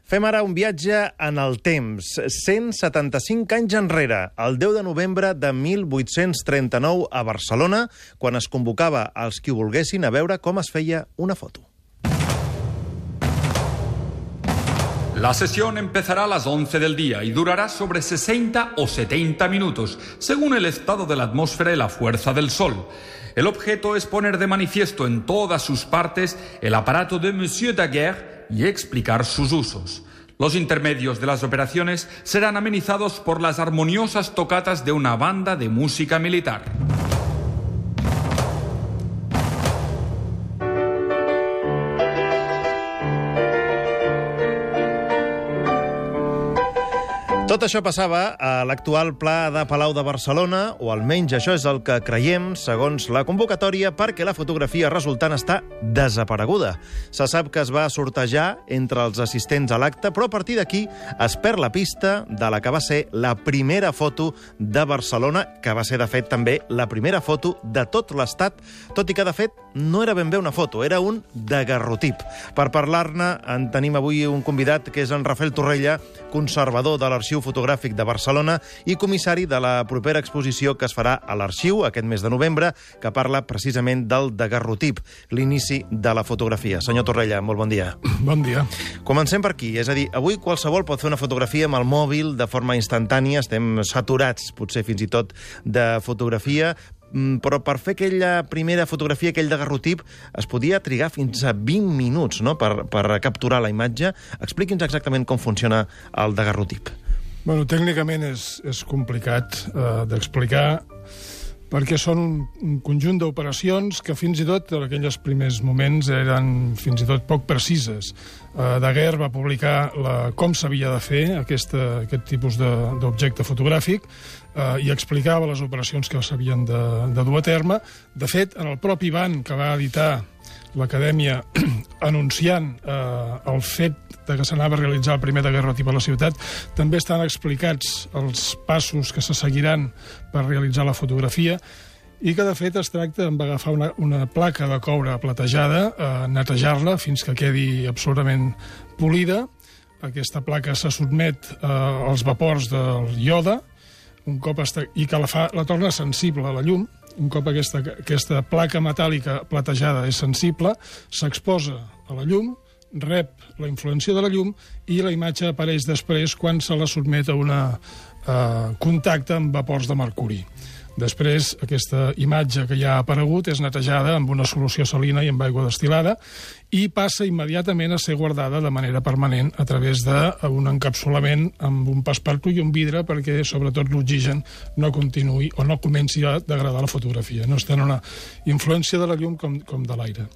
Fem ara un viatge en el temps, 175 anys enrere, el 10 de novembre de 1839 a Barcelona, quan es convocava als qui ho volguessin a veure com es feia una foto. La sesión empezará a las 11 del día y durará sobre 60 o 70 minutos, según el estado de la atmósfera y la fuerza del sol. El objeto es poner de manifiesto en todas sus partes el aparato de Monsieur Daguerre y explicar sus usos. Los intermedios de las operaciones serán amenizados por las armoniosas tocatas de una banda de música militar. Tot això passava a l'actual Pla de Palau de Barcelona, o almenys això és el que creiem, segons la convocatòria, perquè la fotografia resultant està desapareguda. Se sap que es va sortejar entre els assistents a l'acte, però a partir d'aquí es perd la pista de la que va ser la primera foto de Barcelona, que va ser, de fet, també la primera foto de tot l'Estat, tot i que, de fet, no era ben bé una foto, era un daguerrotip. Per parlar-ne, en tenim avui un convidat, que és en Rafael Torrella, conservador de l'Arxiu Fotogràfic de Barcelona i comissari de la propera exposició que es farà a l'Arxiu aquest mes de novembre, que parla precisament del daguerrotip, l'inici de la fotografia. Senyor Torrella, molt bon dia. Bon dia. Comencem per aquí, és a dir, avui qualsevol pot fer una fotografia amb el mòbil de forma instantània, estem saturats, potser fins i tot, de fotografia, però per fer aquella primera fotografia, aquell daguerrotip, es podia trigar fins a 20 minuts, no?, per capturar la imatge. Expliqui'ns exactament com funciona el daguerrotip. Bueno, tècnicament és complicat d'explicar, perquè són un conjunt d'operacions que fins i tot en aquells primers moments eren fins i tot poc precises. Daguerre va publicar com s'havia de fer aquest tipus d'objecte fotogràfic i explicava les operacions que s'havien de dur a terme. De fet, en el propi ban que va editar l'Acadèmia anunciant el fet que s'anava a realitzar el primer daguerrotip a la ciutat, també estan explicats els passos que se seguiran per realitzar la fotografia i que, de fet, es tracta d'agafar una placa de coure platejada, netejar-la fins que quedi absolutament polida. Aquesta placa se sotmet als vapors del iode i que la torna sensible a la llum. Un cop aquesta placa metàl·lica platejada és sensible, s'exposa a la llum, rep la influència de la llum i la imatge apareix després quan se la sotmet a un contacte amb vapors de mercuri. Després, aquesta imatge que ja ha aparegut és netejada amb una solució salina i amb aigua destil·lada i passa immediatament a ser guardada de manera permanent a través d'un encapsulament amb un passepartout i un vidre perquè, sobretot, l'oxigen no continuï o no comenci a degradar la fotografia. No està en una influència de la llum com de l'aire.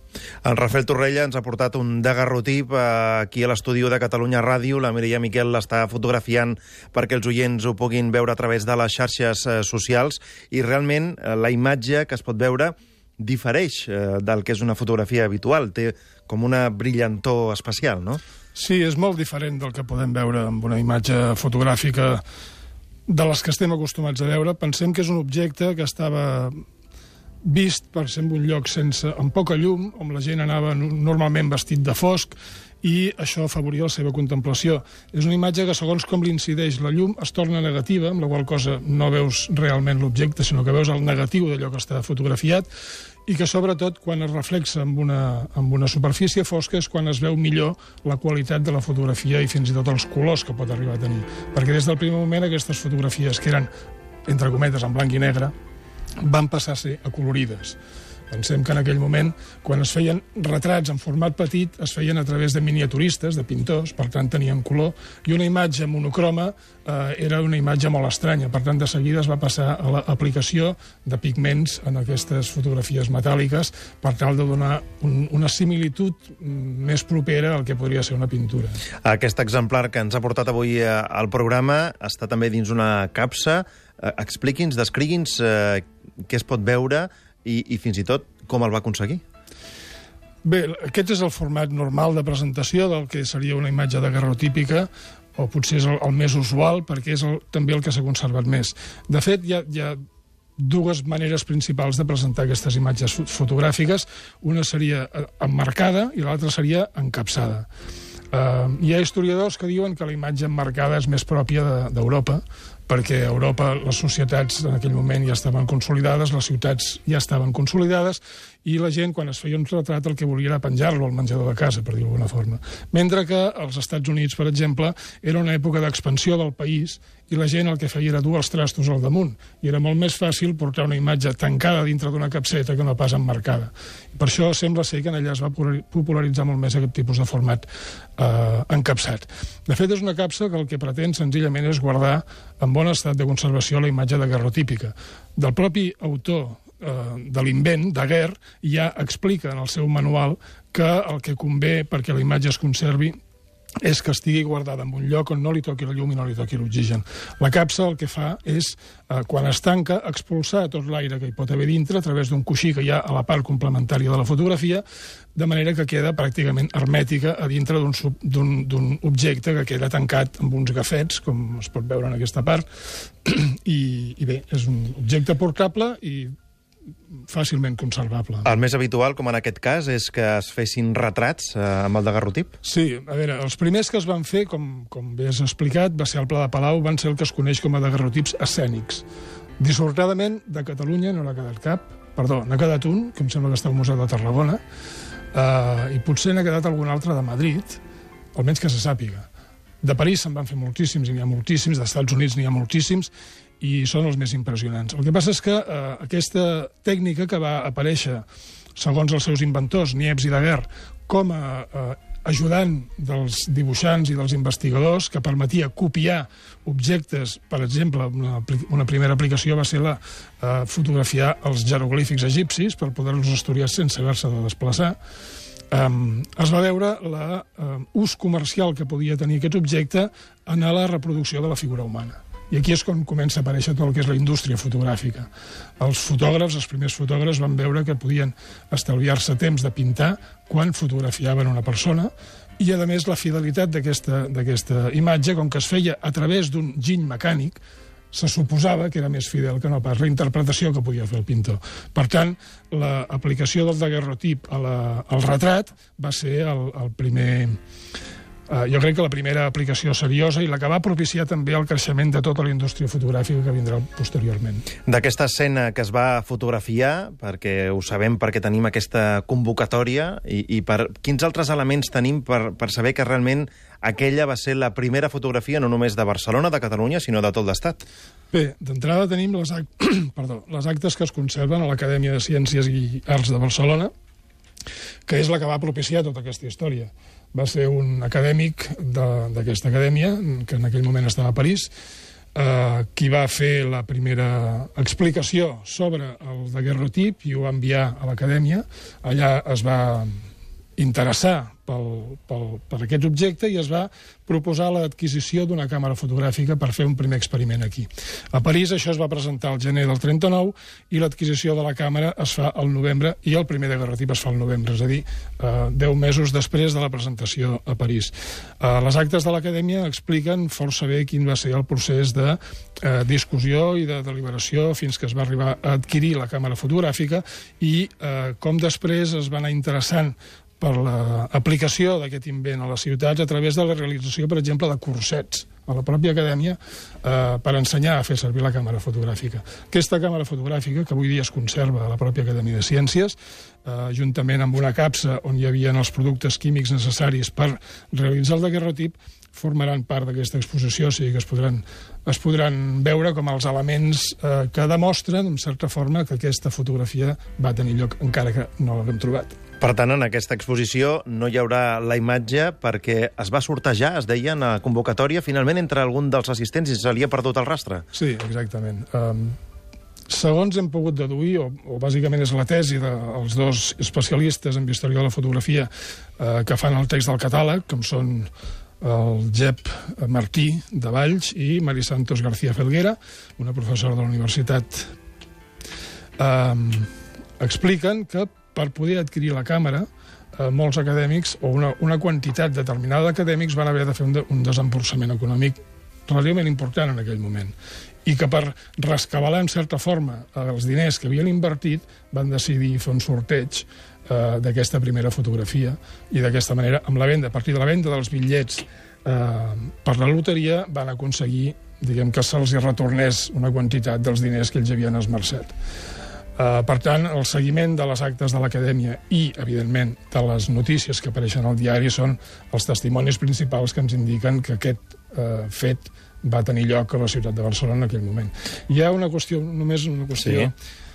En Rafael Torrella ens ha portat un daguerrotip aquí a l'estudi de Catalunya Ràdio. La Mireia Miquel l'està fotografiant perquè els oients ho puguin veure a través de les xarxes socials i realment la imatge que es pot veure difereix del que és una fotografia habitual. Té com una brillantor especial, no? Sí, és molt diferent del que podem veure amb una imatge fotogràfica de les que estem acostumats a veure. Pensem que és un objecte que estava vist, per exemple, un lloc amb poca llum, on la gent anava normalment vestit de fosc, i això afavoria la seva contemplació. És una imatge que, segons com l'incideix la llum, es torna negativa, amb la qual cosa no veus realment l'objecte, sinó que veus el negatiu d'allò que està fotografiat, i que, sobretot, quan es reflexa amb una superfície fosca és quan es veu millor la qualitat de la fotografia i fins i tot els colors que pot arribar a tenir. Perquè des del primer moment aquestes fotografies, que eren, entre cometes, en blanc i negre, van passar a ser acolorides. Pensem que en aquell moment, quan es feien retrats en format petit, es feien a través de miniaturistes, de pintors, per tant tenien color, i una imatge monocroma era una imatge molt estranya. Per tant, de seguida es va passar a l'aplicació de pigments en aquestes fotografies metàl·liques per tal de donar una similitud més propera al que podria ser una pintura. Aquest exemplar que ens ha portat avui al programa està també dins una capsa. Expliqui'ns, descrigui'ns què es pot veure i fins i tot com el va aconseguir. Bé, aquest és el format normal de presentació del que seria una imatge daguerrotípica, o potser és el més usual, perquè és també el que s'ha conservat més. De fet, hi ha dues maneres principals de presentar aquestes imatges fotogràfiques. Una seria emmarcada i l'altra seria encapsada. Hi ha historiadors que diuen que la imatge emmarcada és més pròpia d'Europa, perquè a Europa les societats en aquell moment ja estaven consolidades, les ciutats ja estaven consolidades, i la gent, quan es feia un retrat, el que volia era penjar-lo al menjador de casa, per dir-ho d'alguna forma. Mentre que als Estats Units, per exemple, era una època d'expansió del país i la gent el que feia era dur els trastos al damunt. I era molt més fàcil portar una imatge tancada dintre d'una capseta que no pas emmarcada. I per això sembla ser que en allà es va popularitzar molt més aquest tipus de format encapsat. De fet, és una capsa que el que pretén senzillament és guardar en bon estat de conservació la imatge daguerrotípica. Del propi autor de l'invent, Daguerre, ja explica en el seu manual que el que convé perquè la imatge es conservi és que estigui guardada en un lloc on no li toqui la llum i no li toqui l'oxigen. La capsa el que fa és, quan es tanca, expulsar tot l'aire que hi pot haver dintre a través d'un coixí que hi ha a la part complementària de la fotografia, de manera que queda pràcticament hermètica a dintre d'un objecte que queda tancat amb uns gafets, com es pot veure en aquesta part, i bé, és un objecte portable i fàcilment conservable. El més habitual, com en aquest cas, és que es fessin retrats amb el daguerrotip? Sí, a veure, els primers que es van fer, com bé has explicat, va ser al Pla de Palau, van ser el que es coneix com a daguerrotips escènics. Dissortadament, de Catalunya no n'ha quedat cap, perdó, n'ha quedat un, que em sembla que està al Museu de Tarragona, i potser n'ha quedat algun altre de Madrid, almenys que se sàpiga. De París se'n van fer moltíssims, i n'hi ha moltíssims, dels Estats Units n'hi ha moltíssims, i són els més impressionants. El que passa és que aquesta tècnica que va aparèixer, segons els seus inventors, Niepce i Daguerre, com a ajudant dels dibuixants i dels investigadors, que permetia copiar objectes, per exemple, una primera aplicació va ser fotografiar els jeroglífics egipcis per poder-los estudiar sense haver-se de desplaçar, es va veure l'ús comercial que podia tenir aquest objecte en la reproducció de la figura humana. I aquí és quan comença a aparèixer tot el que és la indústria fotogràfica. Els fotògrafs, els primers fotògrafs, van veure que podien estalviar-se temps de pintar quan fotografiaven una persona i, a més, la fidelitat d'aquesta imatge, com que es feia a través d'un giny mecànic, se suposava que era més fidel que no pas la interpretació que podia fer el pintor. Per tant, l'aplicació del daguerrotip al retrat va ser el primer... Jo crec que la primera aplicació seriosa i la que va propiciar també el creixement de tota la indústria fotogràfica que vindrà posteriorment. D'aquesta escena que es va fotografiar, perquè ho sabem perquè tenim aquesta convocatòria, i per quins altres elements tenim per saber que realment aquella va ser la primera fotografia no només de Barcelona, de Catalunya, sinó de tot l'Estat? Bé, d'entrada tenim les actes que es conserven a l'Acadèmia de Ciències i Arts de Barcelona, que és la que va propiciar tota aquesta història. Va ser un acadèmic d'aquesta acadèmia, que en aquell moment estava a París, qui va fer la primera explicació sobre el daguerrotip i ho va enviar a l'acadèmia. Allà es va interessar per aquest objecte i es va proposar l'adquisició d'una càmera fotogràfica per fer un primer experiment aquí. A París això es va presentar al gener del 39 i l'adquisició de la càmera es fa al novembre i el primer daguerrotip es fa al novembre, és a dir, 10 mesos després de la presentació a París. Les actes de l'acadèmia expliquen força bé quin va ser el procés de discussió i de deliberació fins que es va arribar a adquirir la càmera fotogràfica i com després es va anar interessant per l'aplicació d'aquest invent a les ciutats a través de la realització, per exemple, de cursets a la pròpia acadèmia per ensenyar a fer servir la càmera fotogràfica. Aquesta càmera fotogràfica, que avui dia es conserva a la pròpia Acadèmia de Ciències, juntament amb una capsa on hi havia els productes químics necessaris per realitzar el daguerrotip, formaran part d'aquesta exposició, o sigui que es podran veure com els elements que demostren, en certa forma, que aquesta fotografia va tenir lloc, encara que no l'haguem trobat. Per tant, en aquesta exposició no hi haurà la imatge perquè es va sortejar, es deia, en la convocatòria, finalment entre algun dels assistents i se li ha perdut el rastre. Sí, exactament. Segons hem pogut deduir, o bàsicament és la tesi dels dos especialistes en història de la fotografia que fan el text del catàleg, com són el Jep Martí de Valls i Mari Santos García Felguera, una professora de la universitat, expliquen que per poder adquirir la càmera, molts acadèmics, o una quantitat determinada d'acadèmics, van haver de fer un desemborsament econòmic relativament important en aquell moment. I que per rescabalar, en certa forma, els diners que havien invertit, van decidir fer un sorteig d'aquesta primera fotografia, i d'aquesta manera, a partir de la venda dels bitllets per la loteria, van aconseguir, diguem, que se'ls retornés una quantitat dels diners que ells havien esmerçat. Per tant, el seguiment de les actes de l'Acadèmia i, evidentment, de les notícies que apareixen al diari són els testimonis principals que ens indiquen que aquest fet va tenir lloc a la ciutat de Barcelona en aquell moment. Hi ha només una qüestió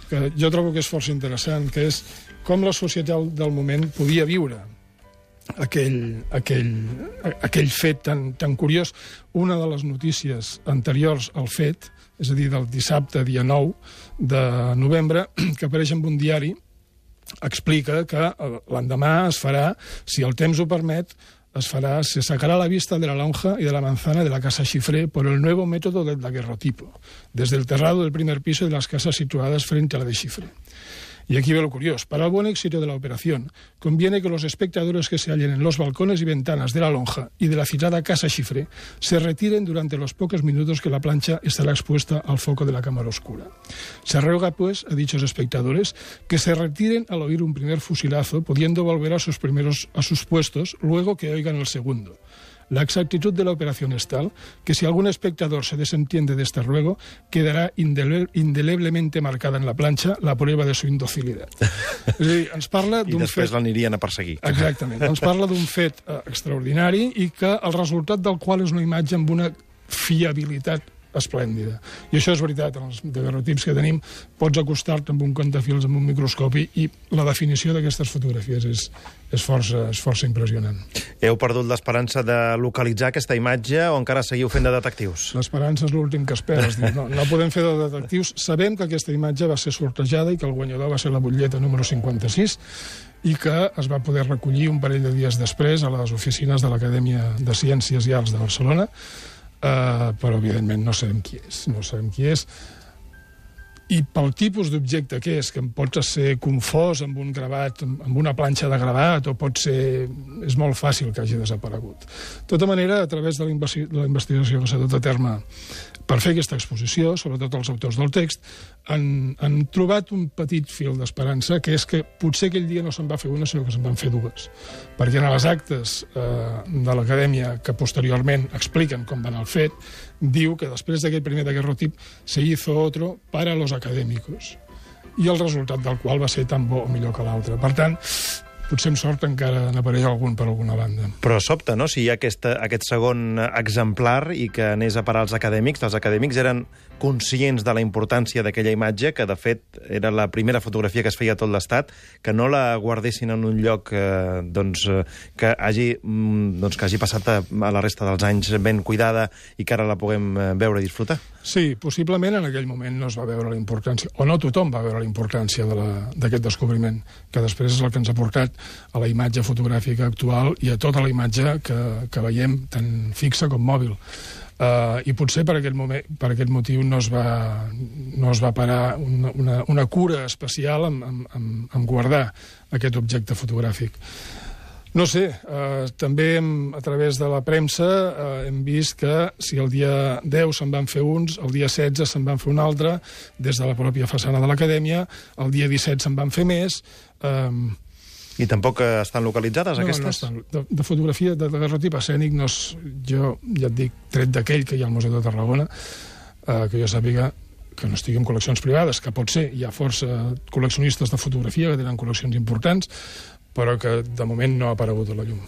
que jo trobo que és força interessant, que és com la societat del moment podia viure aquell fet tan curiós. Una de les notícies anteriors al fet, és a dir, del dissabte, dia 9 de novembre, que apareix en un diari, explica que l'endemà es farà, si el temps ho permet, se sacará la vista de la lonja y de la manzana de la casa Xifré por el nuevo método del daguerrotipo, desde el terrado del primer piso de las casas situadas frente a la de Xifré. Y aquí ve lo curioso. Para el buen éxito de la operación, conviene que los espectadores que se hallen en los balcones y ventanas de la lonja y de la citada casa Xifré se retiren durante los pocos minutos que la plancha estará expuesta al foco de la cámara oscura. Se ruega, pues, a dichos espectadores que se retiren al oír un primer fusilazo, pudiendo volver a sus puestos luego que oigan el segundo. La exactitud de la operación es tal que si algún espectador se desentiende de este ruego, quedará indeleblemente marcada en la planxa la prueba de su indocilitat. És a dir, ens parla d'un fet... I després l'anirien a perseguir. Exactament. Ens parla d'un fet extraordinari i que el resultat del qual és una imatge amb una fiabilitat esplèndida. I això és veritat, en els daguerrotips que tenim pots acostar-te amb un comptafils, amb un microscopi, i la definició d'aquestes fotografies és força impressionant. Heu perdut l'esperança de localitzar aquesta imatge o encara seguiu fent de detectius? L'esperança és l'últim que esperes. No podem fer de detectius. Sabem que aquesta imatge va ser sortejada i que el guanyador va ser la butlleta número 56 i que es va poder recollir un parell de dies després a les oficines de l'Acadèmia de Ciències i Arts de Barcelona, però evidentment no sabem qui és, i pel tipus d'objecte que és, que pot ser confós amb un gravat, amb una planxa de gravat, o és molt fàcil que hagi desaparegut. De tota manera, a través de la investigació que s'ha dut a terme per fer aquesta exposició, sobretot els autors del text, han trobat un petit fil d'esperança, que és que potser aquell dia no se'n va fer una, sinó que se'n van fer dues. Perquè en les actes de l'Acadèmia, que posteriorment expliquen com va anar el fet, diu que després d'aquest primer daguerrotip se hizo otro para los académicos, i el resultat del qual va ser tan bo o millor que l'altre. Per tant, potser amb sort encara n'apareix algun per alguna banda. Però sobta, no?, si hi ha aquest segon exemplar i que anés a parar als acadèmics. Els acadèmics eren conscients de la importància d'aquella imatge, que de fet era la primera fotografia que es feia a tot l'Estat, que no la guardessin en un lloc que hagi passat a la resta dels anys ben cuidada i que ara la puguem veure i disfrutar. Sí, possiblement en aquell moment no es va veure la importància, o no tothom va veure la importància d'aquest descobriment, que després és el que ens ha portat a la imatge fotogràfica actual i a tota la imatge que veiem, tant fixa com mòbil. I potser per aquest motiu no es va parar una cura especial en guardar aquest objecte fotogràfic. No sé, també a través de la premsa hem vist que si el dia 10 se'n van fer uns, el dia 16 se'n van fer un altre, des de la pròpia façana de l'Acadèmia, el dia 17 se'n van fer més... I tampoc estan localitzades, aquestes? No estan. De fotografia, de daguerrotip escènic, jo ja et dic, tret d'aquell que hi ha al Museu de Tarragona, que jo sàpiga que no estigui en col·leccions privades, que pot ser, hi ha força col·leccionistes de fotografia que tenen col·leccions importants, però que de moment no ha aparegut a la llum.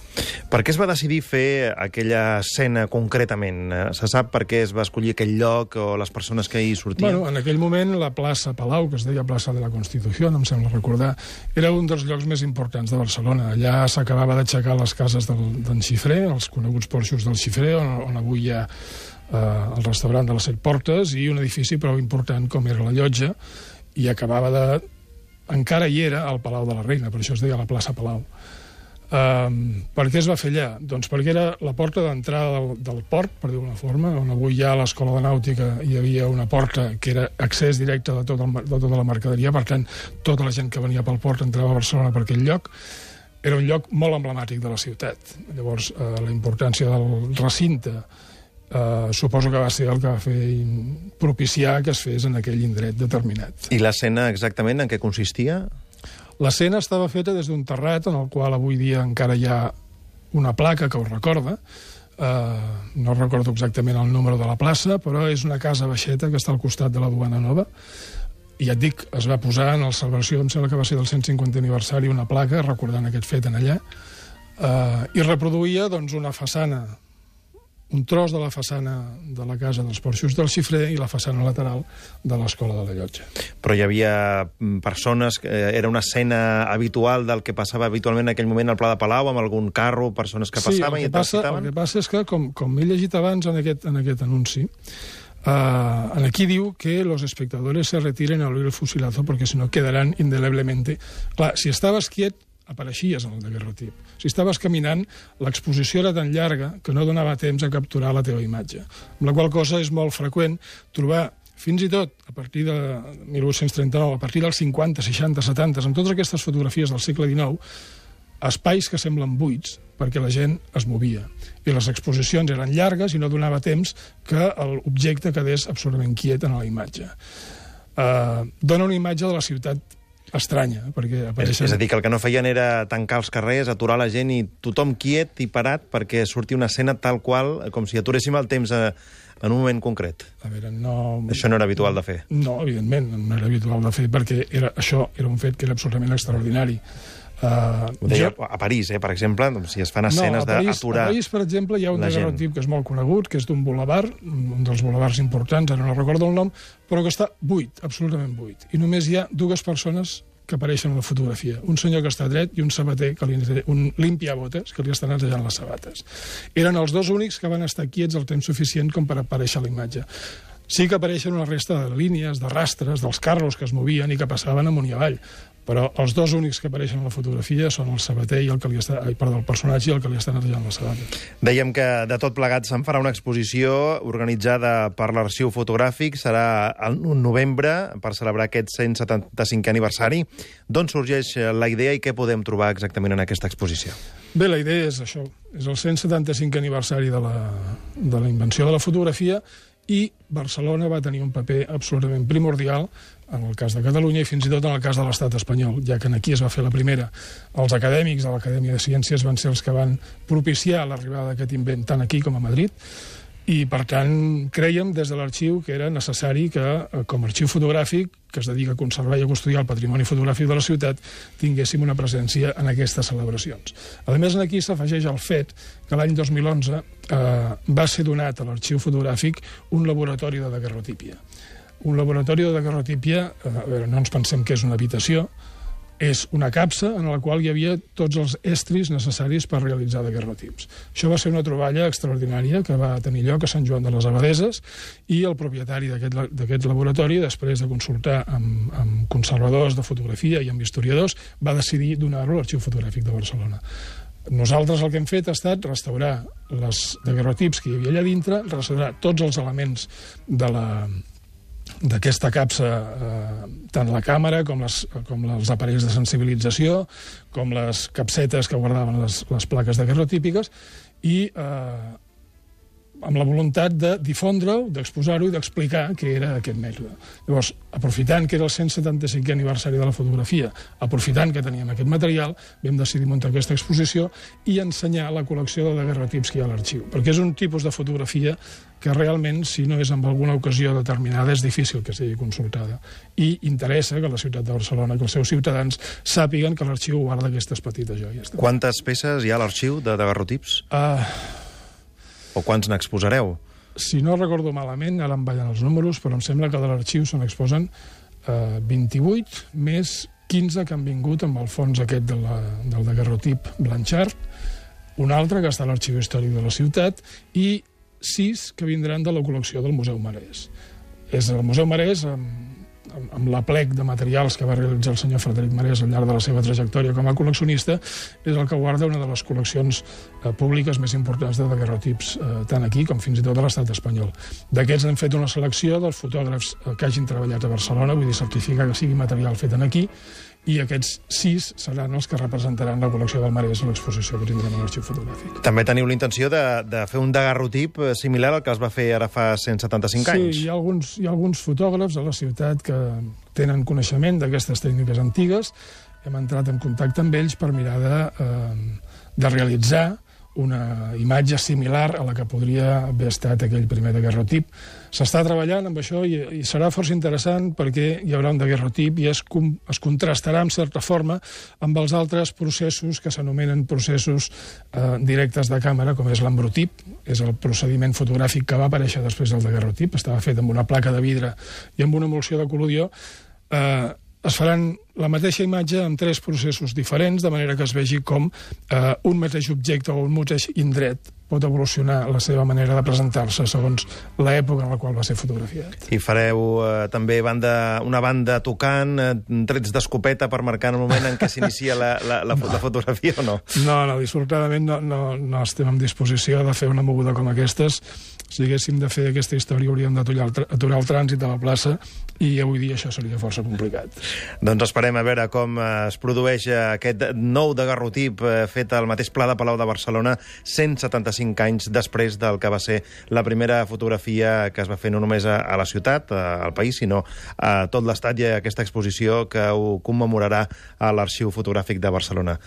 Per què es va decidir fer aquella escena concretament? Se sap per què es va escollir aquell lloc o les persones que hi sortien? Bueno, en aquell moment la plaça Palau, que es deia plaça de la Constitució, em sembla recordar, era un dels llocs més importants de Barcelona. Allà s'acabava d'aixecar les cases d'en Xifré, els coneguts porxos del Xifré, on avui hi ha el restaurant de les 7 Portes, i un edifici prou important com era la Llotja, i acabava de... encara hi era al Palau de la Reina, per això es deia la plaça Palau. Per què es va fer allà? Doncs perquè era la porta d'entrada del port, per dir-ho d'una forma, on avui hi ha l'Escola de Nàutica, hi havia una porta que era accés directe de tota la mercaderia, per tant, tota la gent que venia pel port entrava a Barcelona per aquell lloc. Era un lloc molt emblemàtic de la ciutat. Llavors, la importància del recinte suposo que va ser el que va fer propiciar que es fes en aquell indret determinat. I l'escena exactament en què consistia? L'escena estava feta des d'un terrat en el qual avui dia encara hi ha una placa que ho recorda. No recordo exactament el número de la plaça, però és una casa baixeta que està al costat de la Duana Nova. I ja et dic, es va posar en la celebració, em sembla que va ser del 150 aniversari, una placa recordant aquest fet en allà, i reproduïa doncs, una façana, un tros de la façana de la casa dels Porxos del Xifrer i la façana lateral de l'Escola de la Llotja. Però hi havia persones, era una escena habitual del que passava habitualment en aquell moment al Pla de Palau, amb algun carro, persones que passaven i et recitaven? El que passa és que, com he llegit abans en aquest anunci, aquí diu que los espectadores se retiren a oír el fusilazo porque si no quedarán indeleblemente. Clar, si estaves quiet, apareixies en el daguerrotip. Si estaves caminant, l'exposició era tan llarga que no donava temps a capturar la teva imatge. Amb la qual cosa és molt freqüent trobar, fins i tot a partir de 1839, a partir dels 50, 60, 70, amb totes aquestes fotografies del segle XIX, espais que semblen buits perquè la gent es movia. I les exposicions eren llargues i no donava temps que l'objecte quedés absolutament quiet en la imatge. Dona una imatge de la ciutat estranya, perquè apareixen... És a dir, que el que no feien era tancar els carrers, aturar la gent i tothom quiet i parat perquè surti una escena tal qual, com si aturéssim el temps en un moment concret. A veure, no... Això no era habitual de fer. No, evidentment, no era habitual de fer, perquè això era un fet que era absolutament extraordinari. Ho deia a París, per exemple, si es fan escenes d'aturar... A París, per exemple, hi ha un daguerrotip que és molt conegut, que és d'un bulevard, un dels bulevards importants, ara no recordo el nom, però que està buit, absolutament buit. I només hi ha dues persones que apareixen a la fotografia. Un senyor que està dret i un sabater, un limpiabotes, que li estan netejant les sabates. Eren els dos únics que van estar quiets el temps suficient com per aparèixer a la imatge. Sí que apareixen una resta de línies, de rastres, dels carros que es movien i que passaven amunt i avall, però els dos únics que apareixen a la fotografia són el sabater i el personatge i el que li està netejant la sabata. Dèiem que de tot plegat se'n farà una exposició organitzada per l'Arxiu Fotogràfic, serà el novembre per celebrar aquest 175è aniversari. D'on sorgeix la idea i què podem trobar exactament en aquesta exposició? Bé, la idea és això, és el 175è aniversari de la invenció de la fotografia, i Barcelona va tenir un paper absolutament primordial en el cas de Catalunya i fins i tot en el cas de l'Estat espanyol, ja que aquí es va fer la primera. Els acadèmics de l'Acadèmia de Ciències van ser els que van propiciar l'arribada d'aquest invent tant aquí com a Madrid, i, per tant, crèiem des de l'arxiu que era necessari que, com a arxiu fotogràfic, que es dedica a conservar i a custodiar el patrimoni fotogràfic de la ciutat, tinguéssim una presència en aquestes celebracions. A més, aquí s'afegeix el fet que l'any 2011 va ser donat a l'arxiu fotogràfic un laboratori de daguerrotípia. Un laboratori de daguerrotípia, a veure, no ens pensem que és una habitació, és una capsa en la qual hi havia tots els estris necessaris per realitzar daguerrotips. Això va ser una troballa extraordinària que va tenir lloc a Sant Joan de les Abadeses i el propietari d'aquest laboratori, després de consultar amb conservadors de fotografia i amb historiadors, va decidir donar-lo a l'Arxiu Fotogràfic de Barcelona. Nosaltres el que hem fet ha estat restaurar les daguerrotips que hi havia allà dintre, restaurar tots els elements d'aquesta capsa, tant la càmera com els aparells de sensibilització, com les capsetes que guardaven les plaques daguerrotípiques, i amb la voluntat de difondre-ho, d'exposar-ho i d'explicar què era aquest mètode. Llavors, aprofitant que era el 175è aniversari de la fotografia, aprofitant que teníem aquest material, vam decidir muntar aquesta exposició i ensenyar la col·lecció de daguerrotips que hi ha a l'arxiu, perquè és un tipus de fotografia que realment, si no és en alguna ocasió determinada, és difícil que sigui consultada. I interessa que la ciutat de Barcelona, que els seus ciutadans sàpiguen que l'arxiu guarda aquestes petites joies. Quantes peces hi ha a l'arxiu de daguerrotips? O quants n'exposareu? Si no recordo malament, ara em ballen els números, però em sembla que de l'arxiu se n'exposen 28, més 15 que han vingut amb el fons aquest del daguerrotip Blanchard, un altre que està a l'Arxiu Històric de la ciutat, i 6 que vindran de la col·lecció del Museu Marès. És el Museu Marès, amb l'aplec de materials que va realitzar el senyor Frederic Marès al llarg de la seva trajectòria com a col·leccionista, és el que guarda una de les col·leccions públiques més importants de daguerrotips, tant aquí com fins i tot a l'estat espanyol. D'aquests hem fet una selecció dels fotògrafs que hagin treballat a Barcelona, vull dir, certificar que sigui material fet aquí, i aquests 6 seran els que representaran la col·lecció del Marès a l'exposició que tindrem a l'Arxiu Fotogràfic. També teniu la intenció de fer un daguerrotip similar al que es va fer ara fa 175 anys. Sí, hi ha alguns fotògrafs a la ciutat que tenen coneixement d'aquestes tècniques antigues hem entrat en contacte amb ells per mirar de realitzar una imatge similar a la que podria haver estat aquell primer daguerrotip. S'està treballant amb això i serà força interessant perquè hi haurà un daguerrotip i es contrastarà en certa forma amb els altres processos que s'anomenen processos directes de càmera, com és l'embrotip. És el procediment fotogràfic que va aparèixer després del daguerrotip. Estava fet amb una placa de vidre i amb una emulsió de collodió. Es faran la mateixa imatge amb 3 processos diferents, de manera que es vegi com un mateix objecte o un mateix indret pot evolucionar la seva manera de presentar-se segons l'època en la qual va ser fotografiat. I fareu també una banda tocant, trets d'escopeta per marcar el moment en què s'inicia la fotografia o no? No, dissortadament no estem en disposició de fer una moguda com aquestes. Si haguéssim de fer aquesta història hauríem d'aturar el trànsit de la plaça i avui dia això seria força complicat. Doncs esperem a veure com es produeix aquest nou daguerrotip fet al mateix Pla de Palau de Barcelona 175 anys després del que va ser la primera fotografia que es va fer no només a la ciutat, al país, sinó a tot l'Estat i a aquesta exposició que ho commemorarà a l'Arxiu Fotogràfic de Barcelona.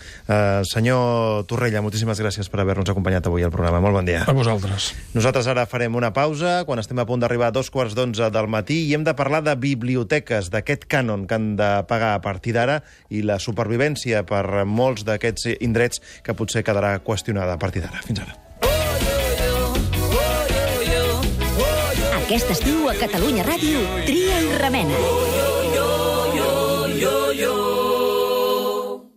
Senyor Torrella, moltíssimes gràcies per haver-nos acompanyat avui al programa. Molt bon dia. A vosaltres. Nosaltres ara farem una pausa quan estem a punt d'arribar a 11:15 del matí i hem de parlar de biblioteques, d'aquest cànon que han de pagar a partir d'ara i la supervivència per molts d'aquests indrets que potser quedarà qüestionada a partir d'ara. Fins ara. Aquest estiu a Catalunya Ràdio, Tria i Remena.